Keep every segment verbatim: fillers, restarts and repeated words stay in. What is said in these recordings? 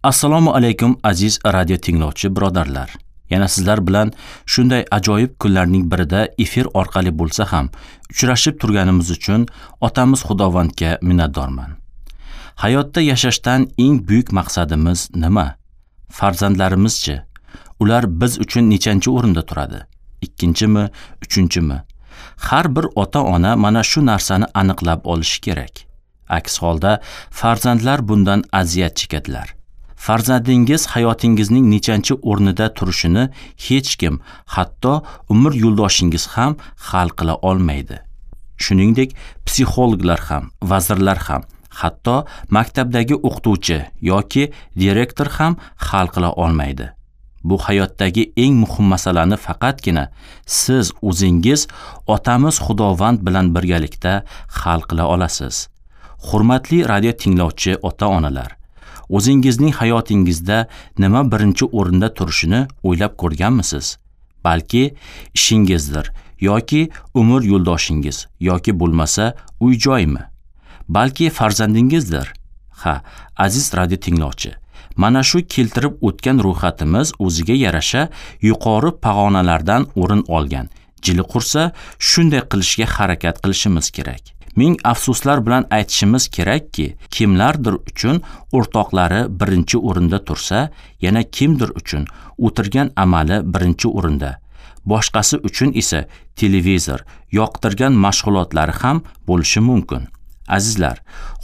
Assalomu alaykum aziz radio tinglovchi birodarlar. Yana sizlar bilan shunday ajoyib kunlarning birida efir orqali bo'lsa ham uchrashib turganimiz uchun otamiz Xudovandga minnatdorman. Hayotda yashashdan eng buyuk maqsadimiz nima? Farzandlarimizchi? Ular biz uchun nechanchi o'rinda turadi? Ikkinchimi, uchinchimi? Har bir ota-ona mana shu narsani aniqlab olishi kerak. Aks holda farzandlar bundan aziyat chekadilar. Farzandingiz hayotingizning nechanchi o'rnida turishini hech kim, hatto umr yo'ldoshingiz ham hal qila olmaydi. Shuningdek, psixologlar ham, vazirlar ham, hatto maktabdagi o'qituvchi yoki direktor ham hal qila olmaydi. Bu hayotdagi eng muhim masalani faqatgina siz o'zingiz otamiz Xudovand bilan birgalikda hal qila olasiz. Hurmatli radio tinglovchi ota-onalar, o'zingizning hayotingizda nima birinchi o'rinda turishini o'ylab ko'rganmisiz? Balki ishingizdir yoki umr yo'ldoshingiz yoki bo'lmasa uy-joymi? Balki farzandingizdir? Ha, aziz radio tinglovchi, mana shu keltirib o'tgan ro'yxatimiz o'ziga yarasha yuqori pog'onalardan o'rin olgan. Jili qursa, shunday qilishga harakat qilishimiz kerak. Ming afsuslar bilan aytishimiz kerakki, kimlardir uchun o'rtoqlari birinchi o'rinda tursa, yana kimdir uchun o'tirgan amali birinchi o'rinda. Boshqasi uchun esa televizor, yoqtirgan mashg'ulotlari ham bo'lishi mumkin. Azizlar,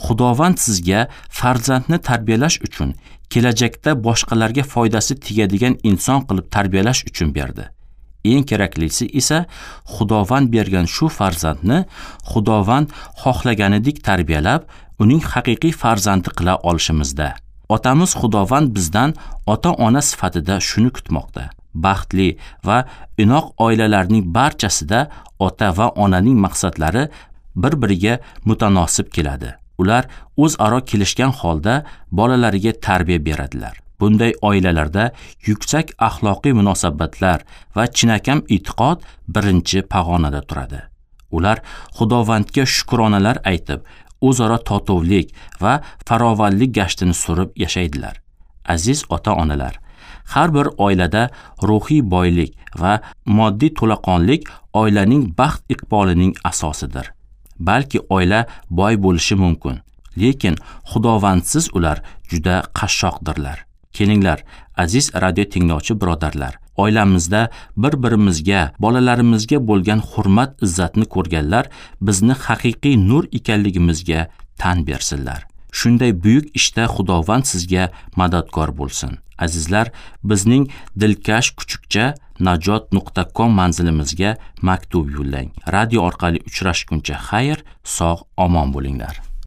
Xudovand sizga farzandni tarbiyalash uchun, kelajakda boshqalarga foydasi tegadigan inson qilib tarbiyalash uchun berdi. Eng keraklisi esa Xudovand bergan shu farzandni Xudovand xohlaganidek tarbiyalab, uning haqiqiy farzandi qila olishimizda. Otamiz Xudovand bizdan ota-ona sifatida shuni kutmoqda. Baxtli va inoq oilalarning barchasida ota va onaning maqsadlari bir-biriga mutanosib keladi. Ular o'zaro kelishgan holda bolalariga tarbiya beradilar. Bunday oilalarda yuksak axloqiy munosabatlar va chinakam e'tiqod birinchi pog'onada turadi. Ular Xudovandga shukronalar aytib, o'zaro totuvlik va farovonlik gashtini surib yashaydilar. Aziz ota-onalar, har bir oilada ruhiy boylik va moddiy to'laqonlik oilaning baxt iqbolining asosidir. Balki oila boy bo'lishi mumkin, lekin Xudovandsiz ular juda qashshoqdirlar. Kelinglar, aziz radio tinglovchi birodarlar, oilamizda bir-birimizga, bolalarimizga bo'lgan hurmat izzatni ko'rganlar bizni haqiqiy nur ekanligimizga tan bersinlar. Shunday buyuk ishda Xudovand sizga madadkor bo'lsin. Azizlar, bizning dilkash kuchukcha najot nuqta com manzilimizga maktub yo'llang. Radio orqali uchrashguncha xayr, sog' omon bo'linglar.